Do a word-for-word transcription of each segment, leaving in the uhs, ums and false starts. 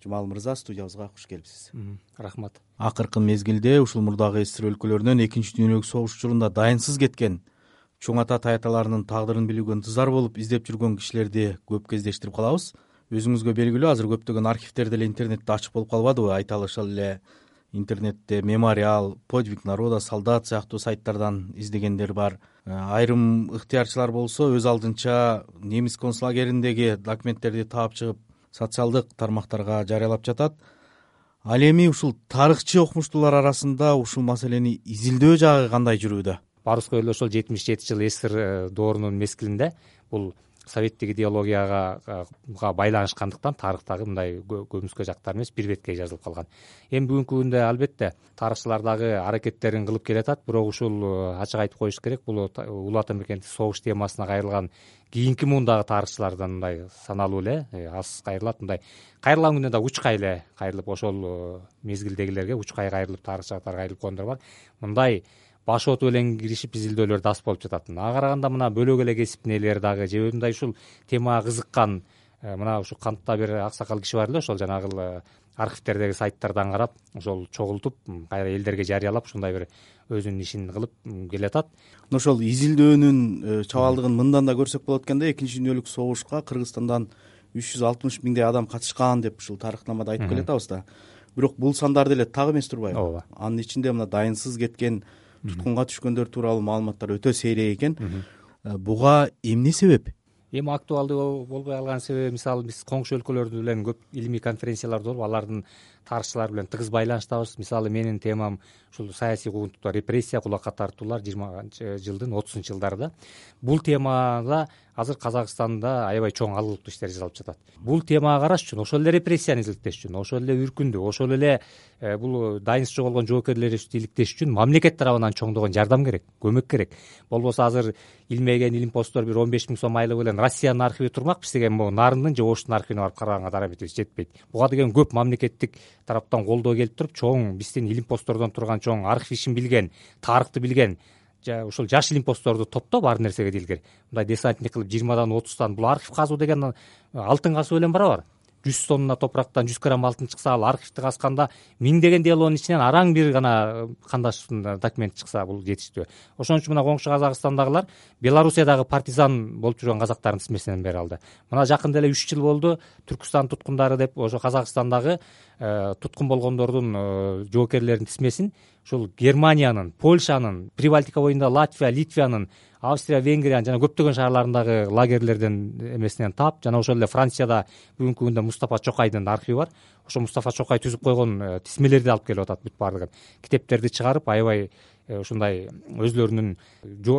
Жумал мырза, студиябызга куш келипсиз. Рахмат. Акыркы мезгилде ушул мурдагы СССР өлкөлөрүнөн экинчи дүйнөлүк согуш учурунда дайынсыз кеткен, чоң ата таяталарынын тагдырын билүүгө ынтызар болуп издеп жүргөн кишилерди көп кездештирип калабыз. Өзүңүзгө белгилүү, азыр көптөгөн архивдер деле интернетте ачык болуп калбадыбы? Айта алышалы эле интернетте Мемориал, Подвиг народа, Солдат сыяктуу сайттардан издегендер бар. Айрым ыктыярчылар болсо өз алдынча немис концлагериндеги документтерди таап чыгып социалдык тармактарга жарыялап жатат. Ал эми ушул тарыхчы окумуштуулар арасында ушул маселени изилдөө жагы кандай жүрүүдө? Барыбызга эле ошол жетимиш жети жыл СССР доорунун мезгилинде бул советтик идеологияга байланышкандыктан тарыхтагы мындай көмүскө жактар эмес, бир бетке жазылып калган. Эми бүгүнкү күндө албетте тарыхчылар дагы аракеттерин кылып келатат, бирок ушул ачык айтып коюш керек, бул улуу ата мекендик согуш темасына кайрылган кийинки муундагы тарыхчылардан мындай саналуу эле аз кайрылат. Мындай кайрылган күндө да учкай эле кайрылып, ошол мезгилдегилерге учкай кайрылып тарыхчылар кайрылып койгондор бар. Мындай баш оту менен киришип изилдөөлөр да аз болуп жатат. Ага караганда мына бөлөк эле кесиптин ээлери дагы же мындай ушул темага кызыккан мына ушул кантта бир аксакал киши бар эле, ошол жанагы архивдердеги сайттардан карап ошол чогултуп кайра элдерге жарыялап ушундай бир өзүнүн ишин кылып келатат. Ошол изилдөөнүн чабалдыгын мындан да көрсөк болот экен да, экинчи дүйнөлүк согушка Кыргызстандан үч жүз алтымыш миңдей адам катышкан деп ушул тарыхнамада айтып келатабыз да. Бирок бул сандар деле так эмес турбайбы? Ооба. Анын ичинде мына дайынсыз кеткен, туткунга түшкөндөр тууралуу маалыматтар өтө сейрек экен. Буга эмне себеп? Эми актуалдуу болбой калган себеби, мисалы биз коңшу өлкөлөр менен көп илимий конференциялар болуп, алардын тарыхчылары менен тыгыз байланыштабыз. Мисалы менин темам ушул саясий куугунтуктар, репрессия, кулакка тартуулар жыйырманчы жылдын отузунчу жылдарында. Бул темада азыр Казакстанда аябай чоң алгылыктуу иштер жасалып жатат. Бул темага караш үчүн, ошол эле репрессияны иликтеш үчүн, ошол эле үркүндү, ошол эле бул дайынсыз жоголгон жоокерлерди иликтеш үчүн мамлекет тарабынан чоңдогон жардам керек, көмөк керек. Болбосо азыр илмеген илимпоздор бир он беш миң сом айлыгы менен Россиянын архиви турмак, биз деген могу Нарындын же Оштун архивине барып караганга дараметибиз жетпейт. Буга деген көп мамлекеттик тараптан колдоо келип туруп, чоң биздин илимпоздордон турган чоң архив ишин билген, тарыхты билген ушул жаш илимпоздорду топтоп ар нерсеге дилгер мындай десантник кылып жыйырмадан отуздан бул архив казуу деген алтын казуу менен барабар. жүз тонна топурактан жүз грамм алтын чыкса, ал архивди казганда миңдеген делонун ичинен араң бир гана кандаш документ чыкса, бул жетиштүү. Ошон үчүн мына коңшу Казакстандагылар Белоруссиядагы партизан болуп жүргөн казактардын тизмесинен бери алды. Мына жакында эле үч жыл болду, Түркстан туткундары деп ошо Казакстандагы туткун болгондордун жоокерлеринин тизмесин ушул Германиянын, Польшанын, Прибалтика боюнда Латвия, Литвиянын, Австрия, Венгриянын жана көптөгөн шаарларындагы лагерлерден эмесинен таап, жана ошол эле Францияда бүгүнкү күндө Мустафа Чокайдын архиви бар. Ошо Мустафа Чокай түзүп койгон тизмелерди алып келип атат, бүт баардыгын. Китептерди чыгарып, аябай ушундай өзлөрүнүн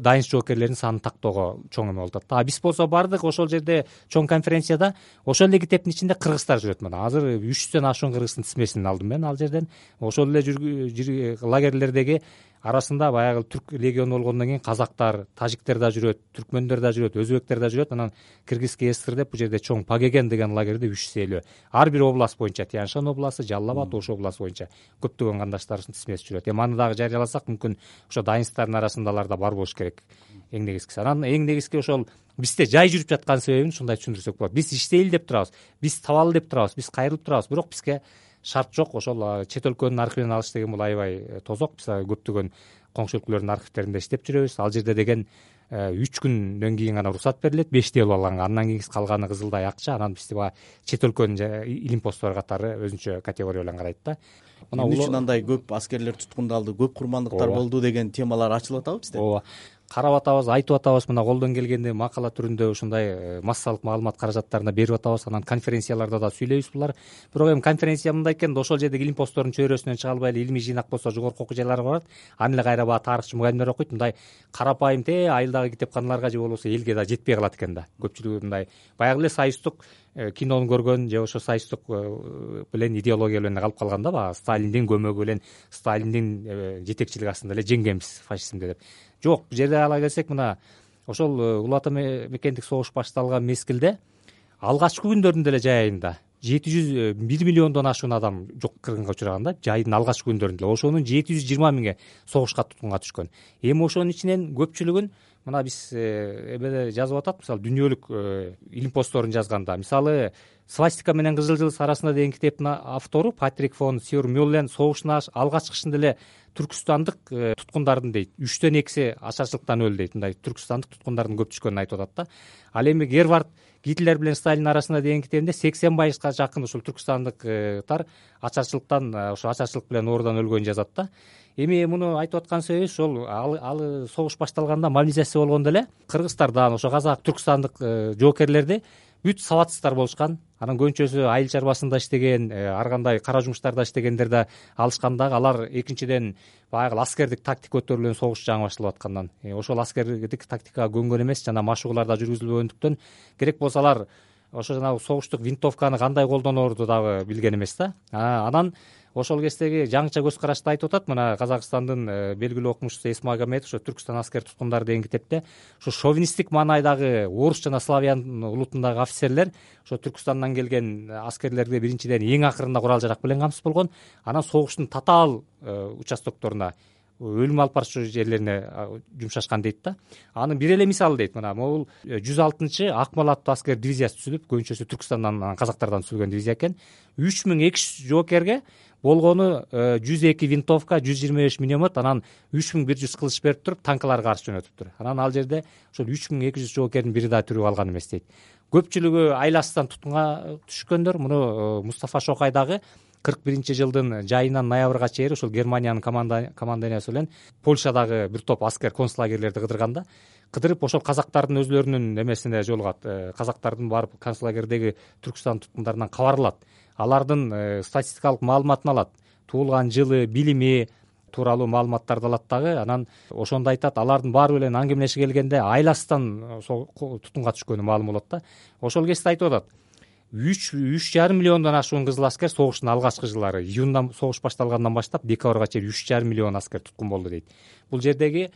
дайынсыз жоокерлеринин санын тактоого чоң эме болуп атат. А биз болсо бардык ошол жерде чоң конференцияда ошол эле китептин ичинде кыргыздар жүрөт. Мына азыр үч жүздөн ашуун кыргыздын тизмесин алдым мен ал жерден. Ошол эле лагерлердеги арасында баягы түрк легиону болгондон кийин казактар, тажиктер да жүрөт, түркмөндөр да жүрөт, өзбектер да жүрөт. Анан Кыргызский ССР деп бул жерде чоң Пагеген деген лагерде үч жүз элүү. Ар бир область боюнча, Тянь-Шань областы, Жалал Абад, Ош областы боюнча көптөгөн кандаштарыбыздын тизмеси жүрөт. Эми аны дагы жарыяласак, мүмкүн ошо дайынсыздардын арасында алар да бар болуш керек. Эң негизгиси. Анан эң негизги ошол бизде жай жүрүп жаткан себебин ушундай түшүндүрсөк болот. Биз иштейли деп турабыз, биз табалы деп турабыз, биз кайрылып турабыз, бирок бизге шарт жок. Ошол чет өлкөнүн архивинен алыш деген бул аябай тозок. Биз көптөгөн коңшу өлкөлөрдүн архивдеринде иштеп жүрөбүз. Ал жерде деген үч күндөн кийин гана уруксат берилет, беш дело алганга. Андан кийин калганы кызылдай акча. Анан бизди баягы чет өлкөнүн илимпоздору катары өзүнчө категория менен карайт да. Эмне үчүн андай көп аскерлер туткундалды, көп курмандыктар болду деген темалар ачылып атабы бизде? Ооба. Карап атабыз, айтып атабыз, мына колдон келгенде макала түрүндө ушундай массалык маалымат каражаттарына берип атабыз. Анан конференцияларда да сүйлөйбүз булар. Бирок эми конференция мындай экен да, ошол жердеги илимпоздордун чөйрөсүнөн чыга албай эле илимий жыйнак болсо жогорку окуу жайларга барат. Аны эле кайра баягы тарыхчы мугалимдер окуйт. Мындай карапайым те айылдагы китепканаларга же болбосо элге да жетпей калат экен да. Көпчүлүгү мындай баягы эле союздук кинону көргөн же ошо союздук менен идеология менен калып калган да, баягы Сталиндин көмөгү менен, Сталиндин жетекчилиги астында эле жеңгенбиз фашизмди деп. Жок, бул жерде ала келсек, мына ошол улуу ата мекендик согуш башталган мезгилде алгачкы күндөрдүн деле жай айында жети жүз бир миллиондон ашуун адам жок кыргынга учураган да, жайдын алгачкы күндөрүндө. Ошонун жети жүз жыйырма миңи согушка туткунга түшкөн. Эми ошонун ичинен көпчүлүгүн мына биз эмеде жазып атат, мисалы дүйнөлүк илим постторун жазганда, мисалы «Свастика менен кызыл жылдыз арасында» деген китептин автору Патрик фон Сюрмюллен согуштун алгач чыгышында эле түркүстандык туткундардын дейт үчтөн экиси ачарчылыктан өлдү дейт. Мындай түркүстандык туткундардын көп түшкөнүн айтып атат да. Ал эми Гервард Гитлер менен Сталин арасында деген китебинде сексен пайызга жакын ушул түркүстандыктар ачарчылыктан ошо ачарчылык менен оорудан өлгөнүн жазат да. Эми муну айтып аткан себебибиз ошол ал согуш башталганда мобилизация болгондо эле кыргызстардан ошо казак түркүстандык жоокерлерди бүт сабатсыздар болушкан. Анан көбүнчөсү айыл чарбасында иштеген, ар кандай кара жумуштарда иштегендер да алышкан дагы. Алар экинчиден баягы аскердик тактика көтөрүлгөн согуш жаңы башталып аткандан ошол аскердик тактикага көнгөн эмес, жана машыгуулар да жүргүзүлбөгөндүктөн керек болсо алар ошо жанагы согуштук винтовканы кандай колдоноорду дагы билген эмес да. Анан ошол кездеги жаңыча көз карашты айтып атат. Мына Казакстандын белгилүү окумушчусу Эсмагомедов ошо «Түркстан аскер туткундары» деген китепте ошо шовинисттик маанайдагы орус жана славян улутундагы офицерлер ошо Түркстандан келген аскерлерге биринчиден эң акырында курал жарак менен камсыз болгон. Анан согуштун татаал участокторуна, өлүм алып барчу жерлерине жумшашкан дейт да. Анын бир эле мисалы дейт, мына могул жүз алтынчы Акмал аттуу аскер дивизиясы түзүлүп, көбүнчөсү Түркстандан, казактардан түзүлгөн дивизия экен. үч миң эки жүз жоокерге болгону жүз эки винтовка, жүз жыйырма беш миномет, анан үч миң бир жүз кылыч берип туруп танкыларга каршы жөнөтүптүр. Анан ал жерде ошол үч миң эки жүз жоокердин бири да тирүү калган эмес дейт. Көпчүлүгү айласынан туткунга түшкөндөр. Муну Мустафа Шокай дагы кырк биринчи жылдын жайынан ноябрга чейин ошол Германиянын командованиясы менен Польшадагы бир топ аскер концлагерлерди кыдырганда, кыдырып ошол казактардын өзлөрүнүн эмесине жолугат. Казактардын барып концлагердеги Түркстан туткундарынан кабар алат. Алардын статистикалык маалыматын алат. Туулган жылы, билими тууралуу маалыматтарды алат дагы. Анан ошондо айтат, алардын баары менен аңгемелеше келгенде айласынан тутунга түшкөнү маалым болот да. Ошол кезде айтып атат, үч үч жарым миллиондон ашуун кызыл аскер согуштун алгачкы жылдары, июндан согуш башталгандан баштап декабрга чейин үч жарым миллион аскер туткун болду дейт. Бул жердеги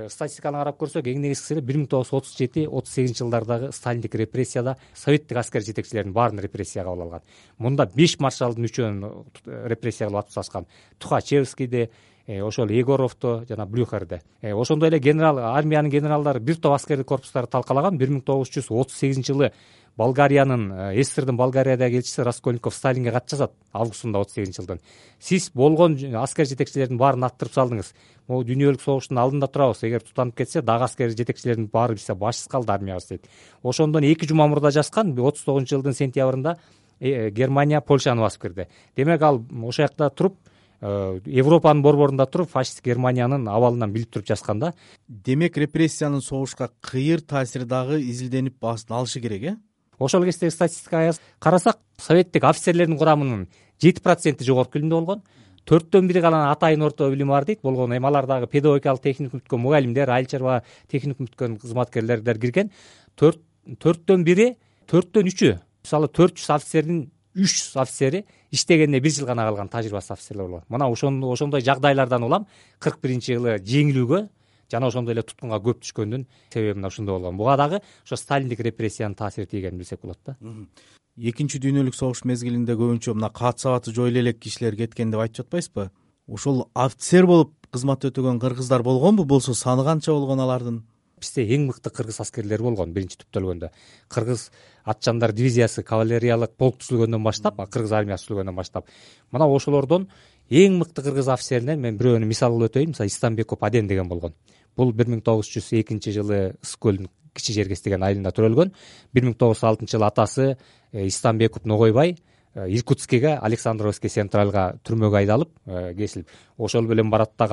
статистиканы карап көрсөк, эң негизгиси бир миң тогуз жүз отуз жети отуз сегизинчи жылдардагы сталиндик репрессияда советтик аскер жетекчилеринин баарын репрессияга кабыл алган. Мында беш маршалдын үчөөнүн репрессия кылып атып тасташкан. Тухачевскийди, ошол Егоровду жана Блюхерди. Ошондой эле генерал, армиянын генералдары бир топ аскердик корпустарды талкалаган. бир миң тогуз жүз отуз сегизинчи жылы Болгариянын, СССРдин Болгариядагы элчиси Раскольников Сталинге кат жазат августунда отуз сегизинчи жылдын. Сиз болгон аскер жетекчилердин баарын аттырып салдыңыз. Могу дүйнөлүк согуштун алдында турабыз. Эгер тутанып кетсе, дагы аскер жетекчилердин баары бизде башсыз калды армиябыз дейт. Ошондон эки жума мурда жазган, отуз тогузунчу жылдын сентябрында Германия Польшаны басып кирди. Демек ал ошол жакта туруп, Европанын борборунда туруп, фашист Германиянын абалынан билип туруп жазган да. Демек репрессиянын согушка кыйыр таасири дагы изилденип баасын алышы керек, э? Ошол кездеги статистикага карасак, советтик офицерлердин курамынын жети проценти жогорку билимде болгон, төрттөн бири гана атайын орто билими бар дейт. Болгону эми алар дагы педагогикалык техникум бүткөн мугалимдер, айыл чарба техникум бүткөн кызматкерлердер кирген. төрттөн бири, төрттөн үчү, мисалы төрт жүз офицердин үч жүз офицери иштегенде бир жыл гана калган тажрыйбасыз офицерлер болгон. Мына ошондой жагдайлардан улам кырк биринчи жылы жеңилүүгө жана ошондой эле туткунга көп түшкөндүн себеби мына ушундай болгон. Буга дагы ошо сталиндик репрессиянын таасири тийгенин билсек болот да. Экинчи дүйнөлүк согуш мезгилинде көбүнчө мына каат сабаты жойула элек кишилер кеткен деп айтып жатпайсызбы? Ошол офицер болуп кызмат өтөгөн кыргыздар болгонбу? Болсо саны канча болгон алардын? Бизде эң мыкты кыргыз аскерлери болгон биринчи түптөлгөндө. Кыргыз атчандар дивизиясы, кавалериялык полк түзүлгөндөн баштап, кыргыз армиясы түзүлгөндөн баштап, мына ошолордон эң мыкты кыргыз офицеринен мен бирөөнү мисал кылып өтөйүн. Мисалы Истамбеков Аден деген болгон. Бул бир миң тогуз жүз экинчи жылы Ыс-көлдүн Кичи Жергес деген айылында төрөлгөн. бир миң тогуз жүз алтынчы жылы атасы Истамбеков Ногойбай Иркутскиге, Александровский централга түрмөгө айдалып кесилип, ошол менен барат да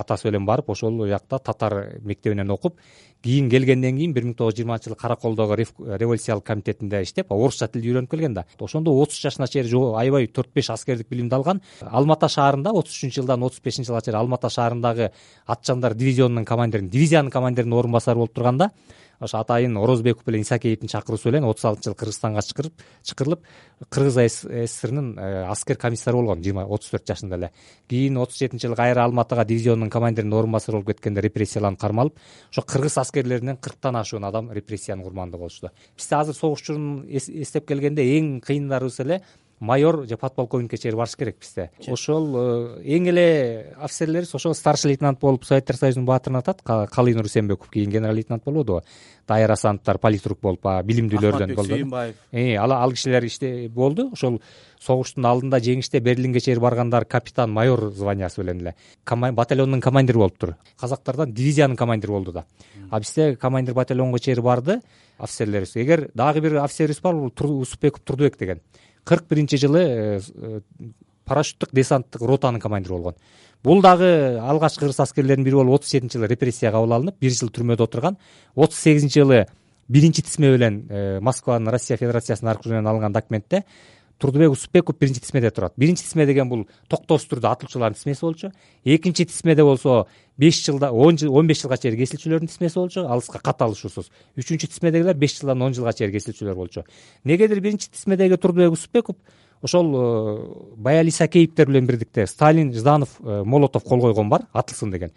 атасы менен барып, ошол жакта татар мектебинен окуп, кийин келгенден кийин бир миң тогуз жүз жыйырманчы жылы Караколдогу революциялык комитетинде иштеп, орусча тилди үйрөнүп келген да. Ошондо отуз жашына чейин аябай төрт беш аскердик билимди алган. Алмата шаарында отуз үчүнчү жылдан отуз бешинчи жылга чейин Алмата шаарындагы атчандар дивизионунун командирин, дивизиянын командиринин орун басары болуп турганда, ошо атайын Орозбеков менен Исакеевдин чакыруусу менен отуз алтынчы жылы Кыргызстанга чакырып, чакырылып, Кыргыз СССРынын аскер комиссары болгон отуз төрт жашында эле. Кийин отуз жетинчи жылы кайра Алматага дивизионунун командиринин орун басары болуп кеткенде репрессияланып кармалып, ошо кыргыз аскерлеринен кырктан ашуун адам репрессиянын курмандыгы болушту. Бизде азыр согуш учурун эстеп келгенде эң кыйындарыбыз эле майор же подполковникке чейин барыш керек бизде. Ошол эң эле офицерлерибиз ошол старший лейтенант болуп Советтер Союзунун баатырын атат. Калый Нурсенбеков кийин генерал лейтенант болбодубу, Дайыр Асановдор политрук болуп, билимдүүлөрдөн болду. Э, ал ал кишилер иште болду. Ошол согуштун алдында жеңиште Берлинге чейин баргандар капитан майор званиясы менен эле батальондун командири болуптур. Казактардан дивизиянын командири болду да. А бизде командир батальонго чейин барды офицерлерибиз. Эгер дагы бир офицерибиз бар, бул Усупбеков Турдубек деген. кырк биринчи жылы парашюттук десанттык ротанын командири болгон. Бул дагы алгачкы кыргыз аскерлеринин бири болуп отуз жетинчи жылы репрессияга кабыл алынып, бир жыл түрмөдө отурган. отуз сегизинчи жылы биринчи тисме менен Москванын Россия Федерациясынын аркылуу алынган документте Турдубек Усупбеков биринчи тисмеде турат. Биринчи тисме деген бул токтоосуз түрдө атылуучулардын тисмеси болчу. Экинчи тисмеде болсо беш жылда он беш жылга чейин кесилчүлөрдүн тисмеси болчу, алыска катталышуусуз. Үчүнчү тисмедегилер беш жылдан он жылга чейин кесилчүлөр болчу. Негедир биринчи тисмедеги Турдубек Усупбеков ошол Баяли Исакеевдер менен бирдикте Сталин, Жданов, Молотов кол койгон бар, атылсын деген.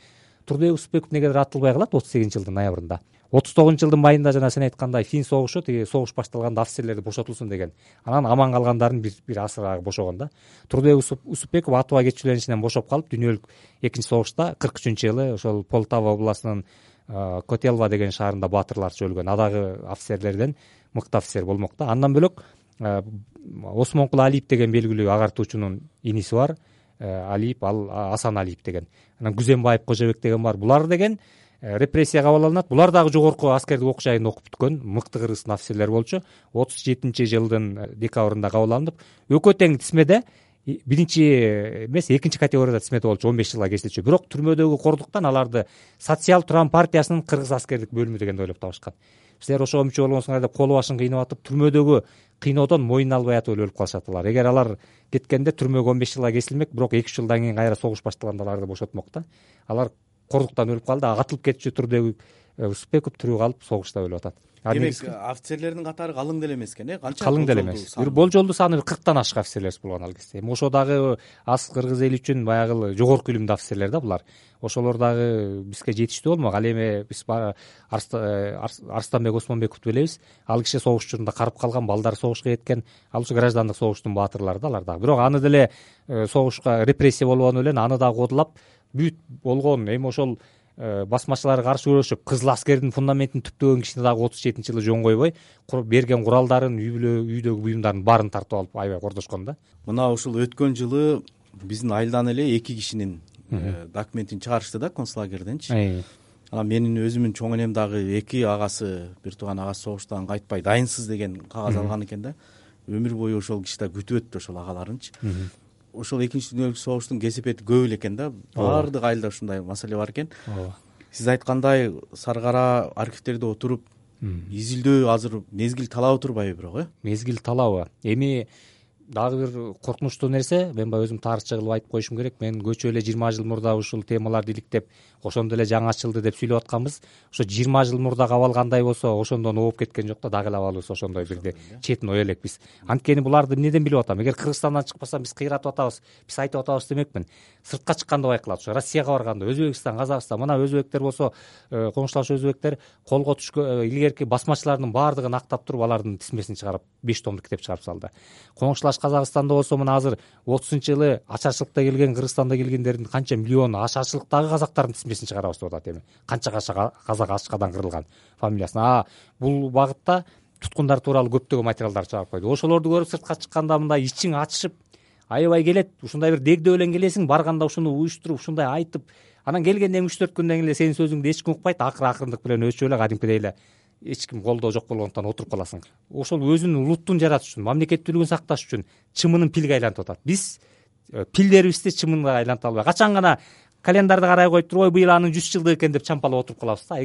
Турдубек Усупбеков негедир атылбай калат отуз сегизинчи жылдын ноябрында. отуз тогузунчу жылдын майында жана сен айткандай Фин согушу, тиги согуш башталганда офицерлерди бошотулсун деген. Анан аман калгандарын бир бир асырагы бошогон да. Турдубек Усупбеков атууга кетчүлөнүшүнөн бошоп калып, дүйнөлүк экинчи согушта кырк үчүнчү жылы ошол Полтава областынын Котелва деген шаарында баатырларча өлгөн. Адагы офицерлерден мыкты офицер болмок да. Андан бөлөк Осмонкул Алиев деген белгилүү агартуучунун иниси бар. Алиев, ал Асан Алиев деген. Анан Күзембаев Кожобек деген бар. Булар деген репрессияга кабыл алынат. Булар дагы жогорку аскердик окуу жайын окуп бүткөн мыкты кыргыздын офицерлери болчу. отуз жетинчи жылдын декабрында кабыл алынып, экөө тең тисмеде биринчи эмес, экинчи категорияда тисмеде болчу, он беш жылга кесилчү. Бирок түрмөдөгү кордуктан аларды Социал Туран партиясынын кыргыз аскердик бөлүмү дегенди ойлоп табышкан. Силер ошого мүчө болгонсуңар деп колу башын кыйнап атып, түрмөдөгү кыйноодон моюн албай атып өлүп калышат алар. Эгер алар кеткенде түрмөгө он беш жылга кесилмек, бирок эки үч жылдан кийин кайра согуш башталганда аларды бошотмок да. Алар кордуктан өлүп калды, атылып кетчү Турдубек Усупбеков тирүү калып согушта өлүп атат. Демек офицерлердин катары калың деле эмес экен, э? Канча калың деле эмес. Бир болжолдуу саны кырктан ашык офицерлер болгон ал кезде. Эми ошо дагы аз кыргыз эли үчүн баягы жогорку илимдүү офицерлер да булар. Ошолор дагы бизге жетиштүү болмок. Ал эми биз Арстанбек Осмонбековду билебиз. Ал киши согуш учурунда карып калган, балдары согушка кеткен. Ал ушу граждандык согуштун баатырлары да алар дагы. Бирок аны деле согушка репрессия болгону менен аны дагы кодулап бүт болгон. Эми ошол басмачылар каршы күрөшүп, кызыл аскердин фундаментин түптөгөн кишини дагы отуз жетинчи жылы жөн койбой, берген куралдарын, үйдөгү буюмдарын баарын тартып алып аябай кордошкон да. Мына ушул өткөн жылы биздин айылдан эле эки кишинин документин чыгарышты да концлагерденчи. Анан менин өзүмдүн чоң энем дагы эки агасы, бир тууган агасы согуштан кайтпай дайынсыз деген кагаз алган экен да. Өмүр бою ошол киши да күтүп өттү ошол агаларынчы. Ошол экинчи дүйнөлүк согуштун кесепети көп эле экен да. Баардык айылда ушундай маселе бар экен. Сиз айткандай Саркара архивтерде отуруп изилдөө азыр мезгил талабы турбайбы бирок, э? Мезгил талабы. Эми дагы бир коркунучтуу нерсе, мен баягы өзүм тарыхчы кылып айтып коюшум керек. Мен көчө эле жыйырма жыл мурда ушул темаларды иликтеп, ошондо эле жаңы ачылды деп сүйлөп атканбыз. Ошо жыйырма жыл мурда кабалгандай болсо, ошондон ооп кеткен жок да, дагы эле абалыбыз ошондой бирди четин ой элекпиз. Анткени буларды эмнеден билип атам? Эгер Кыргызстандан чыкпаса биз кыйратып атабыз, биз айтып атабыз демекмин. Сыртка чыкканда байкалат. Ошо Россияга барганда, Өзбекстан, Казакстан, мына өзбектер болсо, коңшулаш өзбектер колго түшкөн илгерки басмачылардын баардыгын актап туруп, алардын тисмесин чыгарып, беш томдук китеп чыгарып салды. Коңшулаш Казакстанда болсо, мына азыр отузунчу жылы ачарчылыкта келген, Кыргызстанда келгендердин канча миллион ачарчылыктагы казактардын тисмесин чыгарабыз деп атат эми. Канча казак ачкадан кырылган фамилиясын. А бул багытта туткундар тууралуу көптөгөн материалдар чыгарып койду. Ошолорду көрүп сыртка чыкканда мындай ичиң ачышып, аябай келет. Ушундай бир дегдөө менен келесиң, барганда ушуну уюштуруп, ушундай айтып, анан келгенде эми үч төрт күндөн кийин эле сенин сөзүңдү эч ким укпайт, акыры акырындык менен өчүп эле кадимкидей эле эч ким колдоо жок болгондуктан отуруп каласың. Ошол өзүнүн улуттун жаратыш үчүн, мамлекеттүүлүгүн сакташ үчүн чымынын пилге айлантып атат. Биз пилдерибизди чымынга айланта албай, качан гана календарды карай коюп туруп, ой быйыл анын жүз жылдыгы экен деп чампалап отуруп калабыз да.